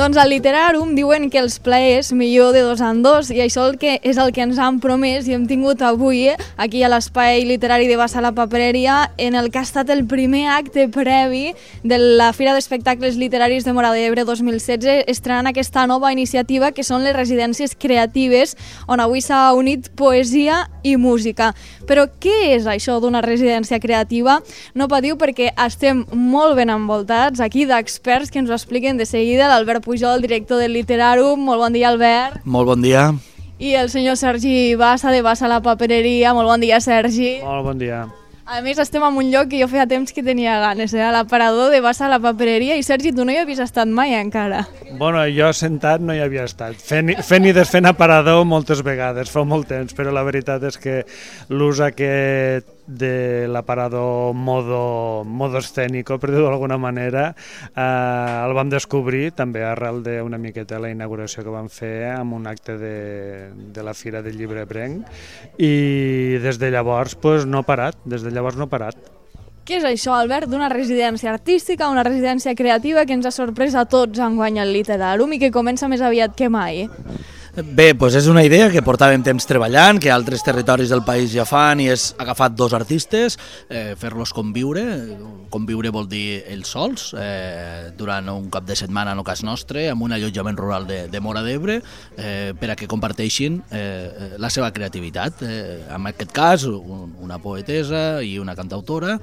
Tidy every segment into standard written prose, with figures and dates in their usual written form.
Doncs al Literàrum diuen que els plaers millor de dos en dos i això és el que ens han promès i hem tingut avui aquí a l'Espai Literari de Bassa la Papereria en el que ha estat el primer acte previ de la Fira d'Espectacles Literaris de Móra d'Ebre 2016 estrenant aquesta nova iniciativa que són les residències creatives on avui s'ha unit poesia i música. Però què és això d'una residència creativa? No patiu perquè estem molt ben envoltats aquí d'experts que ens ho expliquen de seguida. L'Albert Pujol, director del Literàrum. Molt bon dia, Albert. Molt bon dia. I el senyor Sergi Bassa, de Bassa la Papereria. Molt bon dia, Sergi. Molt bon dia. A més, estem en un lloc que jo feia temps que tenia ganes, a l'aparador de Bassa la Papereria. I Sergi, tu no hi havies estat mai encara. Bueno, jo sentat no hi havia estat. Fent i desfent aparador moltes vegades, fa molt temps, però la veritat és que l'ús aquest de l'aparador modo escénico, per dir-ho d'alguna manera, el vam descobrir també arrel d'una miqueta la inauguració que vam fer amb un acte de la Fira del Llibre Ebrenc i des de llavors no ha parat, Què és això, Albert, d'una residència artística, una residència creativa que ens ha sorprès a tots enguany al Literàrum i que comença més aviat que mai? Bé, doncs és una idea que portàvem temps treballant, que altres territoris del país ja fan i és agafar dos artistes, fer-los conviure. Conviure vol dir ells sols, durant un cap de setmana, en el cas nostre, amb un allotjament rural de Móra d'Ebre, per a que comparteixin la seva creativitat. En aquest cas, una poetesa i una cantautora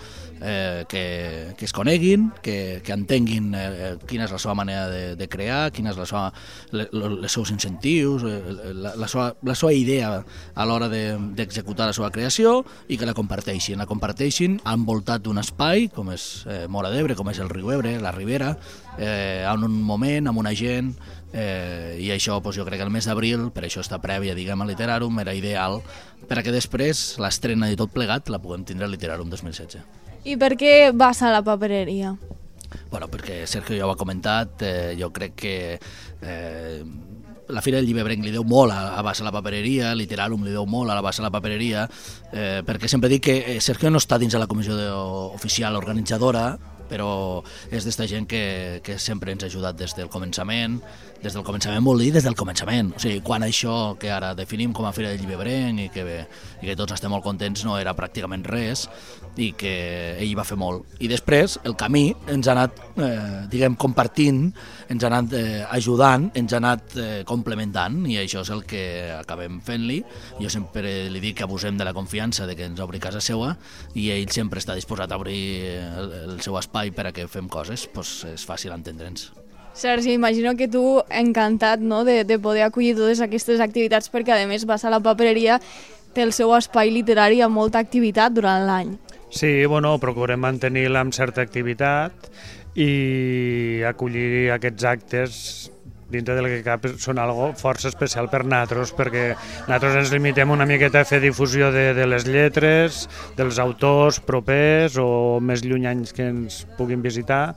que es coneguin, que entenguin quina és la seva manera de crear, quins són els seus incentius, la seva idea a l'hora d'executar la seva creació i que la comparteixin envoltat d'un espai com és Móra d'Ebre, com és el riu Ebre, la Ribera, en un moment, amb una gent, i això jo crec que el mes d'abril, per això està prèvia diguem al Literàrum, era ideal per a que després l'estrena de tot plegat la puguem tindre al Literàrum 2016. I per què Bassa la Papereria? Bueno, perquè Sergio ja ho ha comentat, jo crec que la Fira del Llibre Ebrenc li deu molt a Bassa la Papereria, Literàrum li deu molt a la Bassa la Papereria, perquè sempre dic que Sergio no està dins de la comissió oficial organitzadora, però és d'esta gent que sempre ens ha ajudat des del començament vol dir des del començament, o sigui, quan això que ara definim com a Fira del Llibre Ebrenc i que tots estem molt contents no era pràcticament res i que ell va fer molt. I després el camí ens ha anat compartint, ens ha anat ajudant, ens ha anat complementant i això és el que acabem fent-li. Jo sempre li dic que abusem de la confiança de que ens obri casa seva i ell sempre està disposat a obrir el seu espai per a que fem coses, doncs és fàcil entendre'ns. Sergi, imagino que tu encantat, no?, de poder acollir totes aquestes activitats perquè a més Bassa la Papereria té el seu espai literari amb molta activitat durant l'any. Sí, procurem mantenir-la amb certa activitat i acollir aquests actes dintre del que cap són algo força especial per nosaltres, perquè nosaltres ens limitem una miqueta a fer difusió de les lletres, dels autors propers o més llunyanys que ens puguin visitar,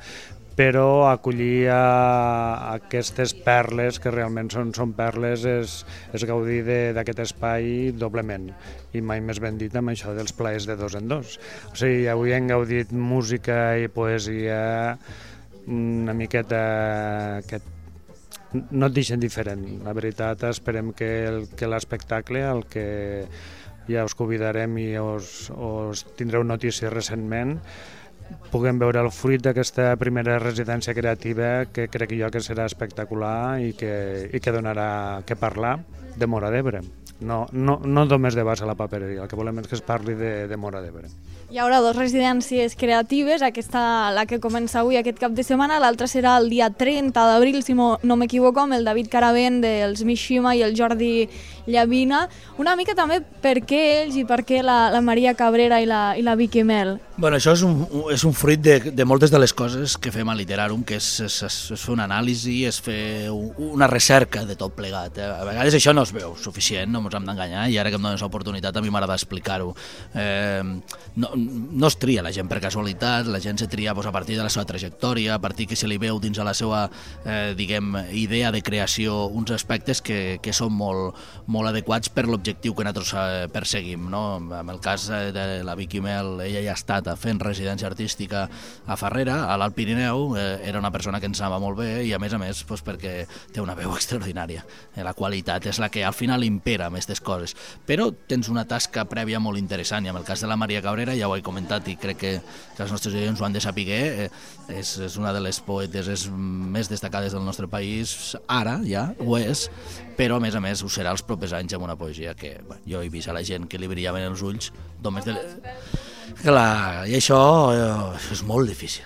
però acollir aquestes perles, que realment són perles, és gaudir d'aquest espai doblement. I mai més ben dit amb això dels plaers de dos en dos. O sigui, avui hem gaudit música i poesia una miqueta que no et deixen diferent. La veritat, esperem que l'espectacle, el que ja us convidarem i us tindreu notícies recentment, puguem veure el fruit d'aquesta primera residència creativa que crec jo que serà espectacular i que donarà que parlar de Móra d'Ebre. No només de Bassa la Papereria, el que volem és que es parli de Móra d'Ebre. Hi haurà dues residències creatives, aquesta la que comença avui aquest cap de setmana, l'altra serà el dia 30 d'abril, si no m'equivoco, amb el David Caravent dels Mishima i el Jordi Llavina. Una mica també per què ells i per què la Maria Cabrera i la Vicky Mel. Bueno, això és un fruit de moltes de les coses que fem a Literàrum, que és fer una anàlisi, és fer una recerca de tot plegat. A vegades això no es veu suficient, no ens hem d'enganyar, i ara que em dones l'oportunitat a mi m'agrada explicar-ho. No es tria la gent per casualitat, la gent se tria a partir de la seva trajectòria, a partir que se li veu dins de la seva idea de creació uns aspectes que són molt adequats per l'objectiu que nosaltres perseguim. En el cas de la Vicky Mel, ella ja ha estat fent residència artística a Farrera, a l'Alt Pirineu, era una persona que ens anava molt bé i a més perquè té una veu extraordinària. La qualitat és la que al final impera amb aquestes coses. Però tens una tasca prèvia molt interessant, i en el cas de la Maria Cabrera ja ho he comentat i crec que els nostres oients ho han de saber, és una de les poetes més destacades del nostre país, ara ja ho és, però a més ho serà els propers anys amb una poesia que jo he vist a la gent que li brillaven els ulls només de... Clar, i això és molt difícil.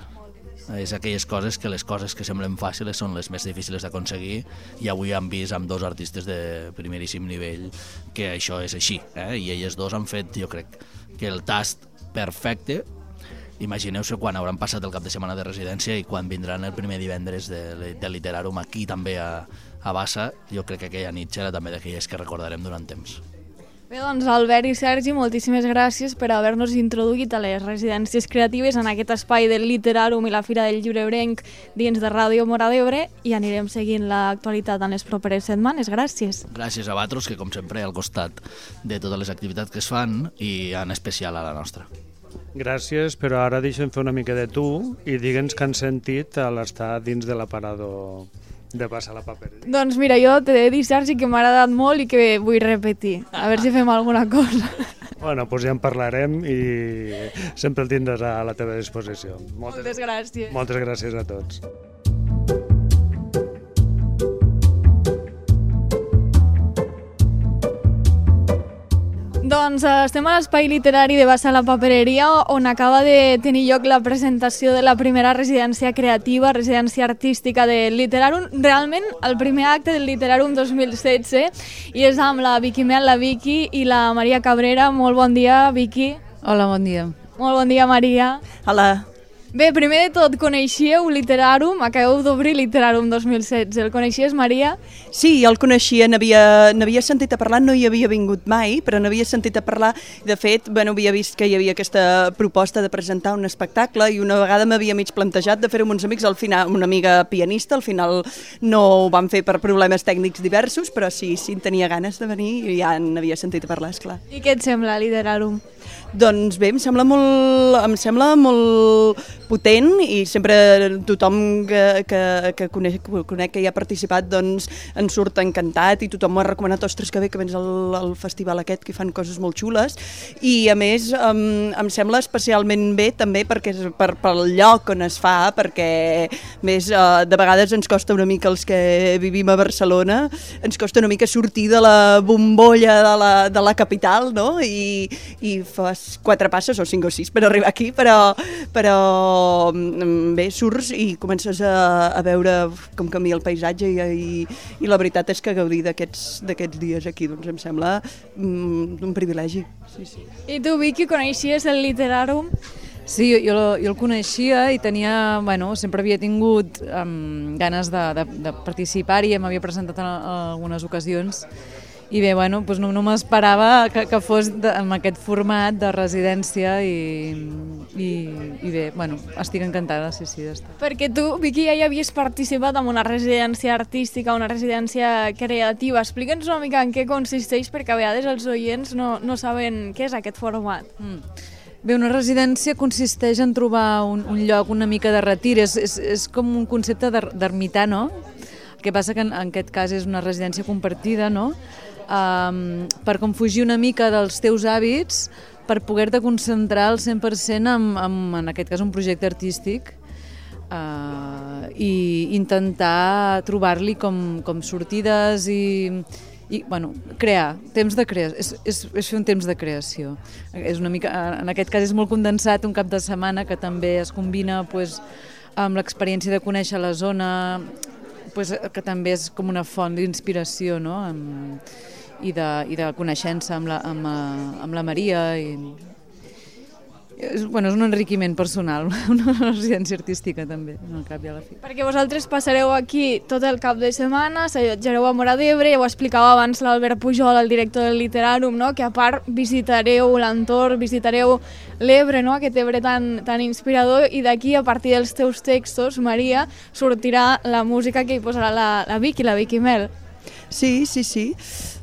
És aquelles coses que les coses que semblen fàcils són les més difícils d'aconseguir, i avui hem vist amb dos artistes de primeríssim nivell que això és així, i elles dos han fet, jo crec, que el tast perfecte. Imagineu-se quan hauran passat el cap de setmana de residència i quan vindran el primer divendres de Literàrum aquí també a Bassa. Jo crec que aquella nit serà també d'aquelles que recordarem durant temps. Bé, doncs Albert i Sergi, moltíssimes gràcies per haver-nos introduït a les residències creatives en aquest espai del Literàrum i la Fira del Llibre Ebrenc dins de Ràdio Móra d'Ebre, i anirem seguint l'actualitat en les properes setmanes. Gràcies. Gràcies a vosaltres, que com sempre al costat de totes les activitats que es fan, i en especial a la nostra. Gràcies, però ara deixa'm fer una mica de tu i digue'ns què han sentit a l'estar dins de l'aparador de Bassa la papereria. Doncs mira, jo t'he de dir, Sergi, que m'ha agradat molt i que vull repetir. A veure si fem alguna cosa. Bueno, doncs ja en parlarem i sempre el tindràs a la teva disposició. Moltes gràcies. Moltes gràcies a tots. Doncs estem a l'espai literari de Bassa la papereria, on acaba de tenir lloc la presentació de la primera residència creativa, residència artística del Literàrum, realment el primer acte del Literàrum 2016, i és amb la Vicky Mel, la Vicky i la Maria Cabrera. Molt bon dia, Vicky. Hola, bon dia. Molt bon dia, Maria. Hola. Bé, primer de tot, coneixíeu Literàrum? Acabeu d'obrir Literàrum 2016. El coneixies, Maria? Sí, jo el coneixia, n'havia sentit a parlar, no hi havia vingut mai, però n'havia sentit a parlar. De fet, havia vist que hi havia aquesta proposta de presentar un espectacle, i una vegada m'havia mig plantejat de fer-ho amb uns amics, al final, una amiga pianista, al final no ho vam fer per problemes tècnics diversos, però sí en tenia ganes de venir i ja n'havia sentit a parlar, esclar. I què et sembla, Literàrum? Doncs bé, em sembla molt potent, i sempre tothom que conec que hi ha participat doncs en surt encantat, i tothom m'ho ha recomanat, ostres, que bé que vens al festival aquest, que fan coses molt xules, i a més em sembla especialment bé també perquè pel lloc on es fa, perquè més de vegades ens costa una mica, els que vivim a Barcelona, ens costa una mica sortir de la bombolla de la capital, no? I fas 4 passes o 5 o 6 per arribar aquí, però bé, surts i comences a veure com canvia el paisatge, i la veritat és que gaudir d'aquests dies aquí doncs em sembla un privilegi. Sí. I tu, Vicky, coneixies el Literàrum? Sí, jo el coneixia i tenia, sempre havia tingut ganes de participar-hi, m'havia presentat en algunes ocasions. I bé, doncs no m'esperava que fos en aquest format de residència, i bé, estic encantada, sí, d'estar. Perquè tu, Vicky, ja hi havies participat en una residència artística, una residència creativa. Explica'ns una mica en què consisteix, perquè a vegades els oients no saben què és aquest format. Bé, una residència consisteix en trobar un lloc una mica de retir, és com un concepte d'ermità, no? El que passa que en aquest cas és una residència compartida, no? Per com fugir una mica dels teus hàbits, per poder-te concentrar al 100% en aquest cas un projecte artístic, i intentar trobar-li com sortides i crear, temps de creació, és fer un temps de creació. És una mica, en aquest cas és molt condensat, un cap de setmana que també es combina amb l'experiència de conèixer la zona, que també és com una font d'inspiració, no? I de coneixença amb la Maria. És un enriquiment personal, una residència artística també, al cap i a la fi. Perquè vosaltres passareu aquí tot el cap de setmana, s'allotjareu a Móra d'Ebre, ja ho explicava abans l'Albert Pujol, el director del Literàrum, no? Que a part visitareu l'entorn, visitareu l'Ebre, no? Aquest Ebre tan inspirador, i d'aquí, a partir dels teus textos, Maria, sortirà la música que hi posarà la Vicky Mel. Sí.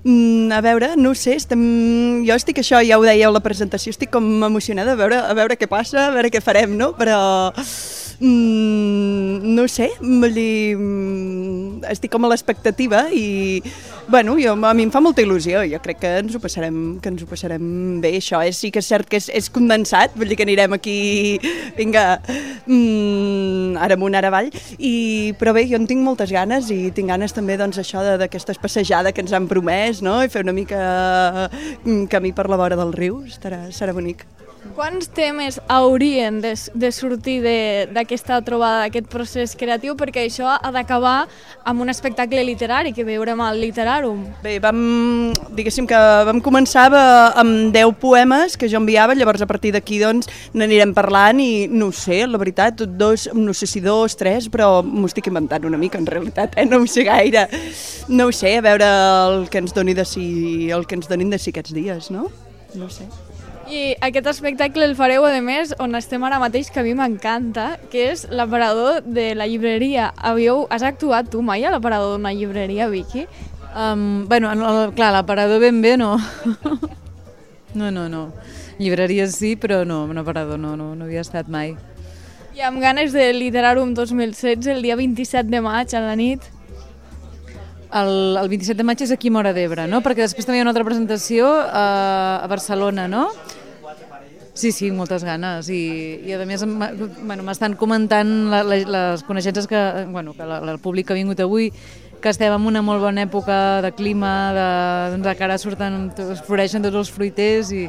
A veure, no ho sé, jo estic això, ja ho dèieu a la presentació, estic com emocionada a veure què passa, a veure què farem, no? Però no ho sé, estic com a l'expectativa i bueno, a mi em fa molta il·lusió, jo crec que ens ho passarem bé, això sí que és cert que és condensat, vull dir que anirem aquí, vinga, ara amunt, ara avall, però bé, jo en tinc moltes ganes i tinc ganes també doncs això d'aquesta passejada que ens han promès, no? I fer una mica camí per la vora del riu, serà bonic. Quants temes haurien de sortir d'aquesta trobada, d'aquest procés creatiu, perquè això ha d'acabar amb un espectacle literari que veurem al Literàrum? Bé, diguéssim que vam començar amb 10 poemes que jo enviava, llavors a partir d'aquí doncs n'anirem parlant i no ho sé, la veritat, no sé si 2, 3, però m'ho estic inventant una mica en realitat, no ho sé gaire. No ho sé, a veure el que ens donin de si aquests dies, no? No ho sé. I aquest espectacle el fareu, a més, on estem ara mateix, que a mi m'encanta, que és l'aparador de la llibreria. Has actuat tu mai a l'aparador d'una llibreria, Vicky? Clar, l'aparador ben bé no. No. Llibreries sí, però no, un aparador no havia estat mai. I amb ganes de Literàrum 2016, el dia 27 de maig a la nit? El 27 de maig és aquí a Móra d'Ebre, no? Perquè després també hi ha una altra presentació a Barcelona, no? Sí, moltes ganes. I a més m'estan comentant les coneixences que el públic que ha vingut avui, que estem en una molt bona època de clima, de cara floreixen tots els fruiters i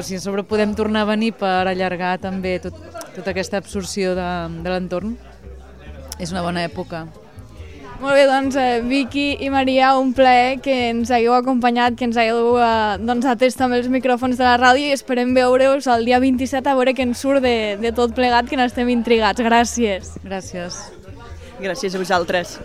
si a sobre podem tornar a venir per allargar també tota aquesta absorció de l'entorn, és una bona època. Molt bé, doncs Vicky i Maria, un plaer que ens hagueu acompanyat, que ens hagueu atès també els micròfons de la ràdio i esperem veure-us el dia 27 a veure què ens surt de tot plegat, que n'estem intrigats. Gràcies. Gràcies. Gràcies a vosaltres.